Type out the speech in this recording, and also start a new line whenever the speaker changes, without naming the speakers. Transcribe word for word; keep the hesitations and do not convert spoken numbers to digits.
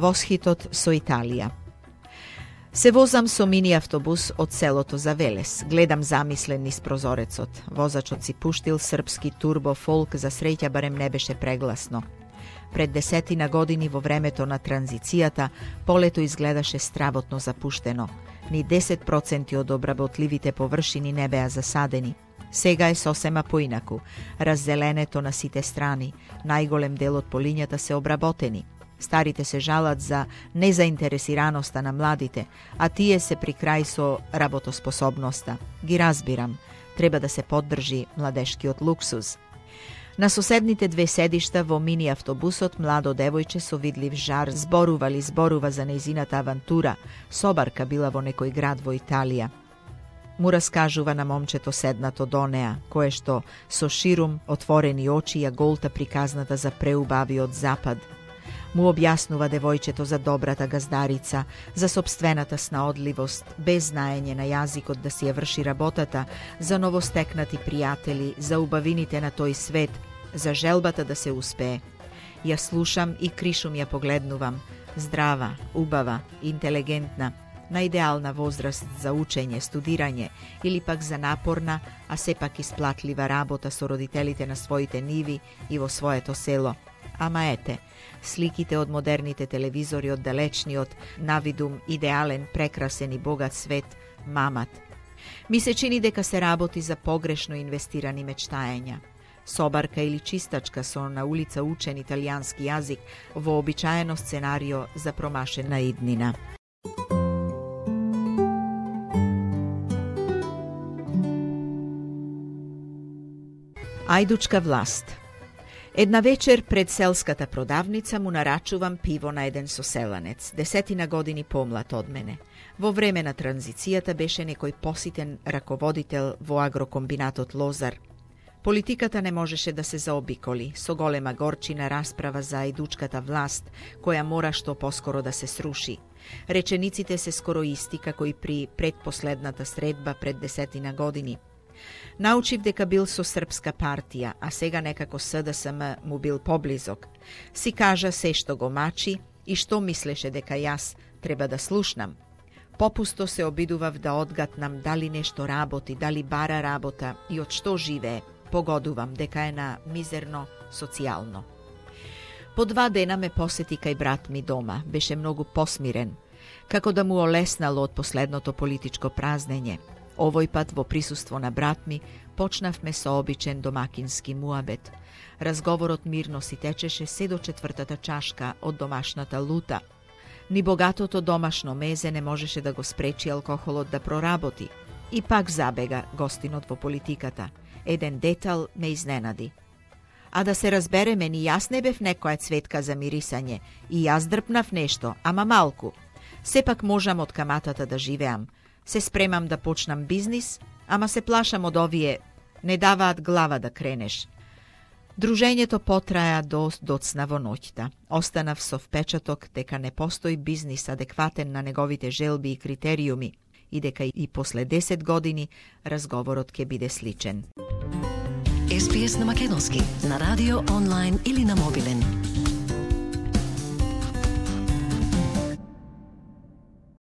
восхитот со Италија. Се возам со мини автобус од селото за Велес. Гледам замислен низ прозорецот. Возачот си пуштил српски турбо фолк, за среќа барем не беше прегласно. Пред десетина години во времето на транзицијата, полето изгледаше стравотно запуштено. Ни десет проценти од обработливите површини не беа засадени. Сега е сосема поинаку. Раззеленето на сите страни, најголем дел од полињата се обработени. Старите се жалат за незаинтересираноста на младите, а тие се при крај со работоспособноста. Ги разбирам, треба да се поддржи младешкиот луксуз. На соседните две седишта во мини автобусот младо девојче со видлив жар зборували зборува за нејзината авантура, собарка била во некој град во Италија. Му раскажува на момчето седнато до неа, кое што со ширум отворени очи ја голта приказната за преубавиот запад. Му објаснува девојчето за добрата газдарица, за собствената снаодливост, без знаење на јазикот да си ја врши работата, за новостекнати пријатели, за убавините на тој свет, за желбата да се успее. Ја слушам и кришум ја погледнувам. Здрава, убава, интелигентна, на идеална возраст за учење, студирање или пак за напорна, а сепак исплатлива работа со родителите на своите ниви и во своето село. Ама ете, сликите од модерните телевизори од далечниот, навидум идеален, прекрасен и богат свет, мамат. Ми се чини дека се работи за погрешно инвестирани мечтаења. Собарка или чистачка со на улица учен италијански јазик во обичаено сценарио за промашена иднина. Ајдучка власт. Една вечер пред селската продавница му нарачувам пиво на еден соселанец, десетина години помлад од мене. Во време на транзицијата беше некој поситен раководител во агрокомбинатот Лозар. Политиката не можеше да се заобиколи, со голема горчина расправа за ајдучката власт, која мора што поскоро да се сруши. Речениците се скоро исти како и при предпоследната средба пред десетина години. Научив дека бил со Српска партија, а сега некако С Д С М му бил поблизок. Си кажа се што го мачи и што мислеше дека јас треба да слушнам. Попусто се обидував да одгатнам дали нешто работи, дали бара работа и од што живее. Погодувам дека е на мизерно социјално. По два дена ме посети кај брат ми дома. Беше многу посмирен, како да му олеснало од последното политичко празнење. Овој пат во присуство на брат ми почнавме со обичен домакински муабет. Разговорот мирно си течеше се до четвртата чашка од домашната лута. Ни богатото домашно мезе не можеше да го спречи алкохолот да проработи. И пак забега гостинот во политиката. Еден детал ме изненади. А да се разбереме, ни јас не бев некоја цветка за мирисање. И јас дрпнав нешто, ама малку. Сепак можам од каматата да живеам. Се спремам да почнам бизнис, ама се плашам од овие, не даваат глава да кренеш. Дружењето потраја до доцна во ноќта. Останав со впечаток дека не постои бизнис адекватен на неговите желби и критериуми и дека и после десет години разговорот ќе биде сличен.
Ес Би Ес на македонски, на радио, онлайн или на мобилен.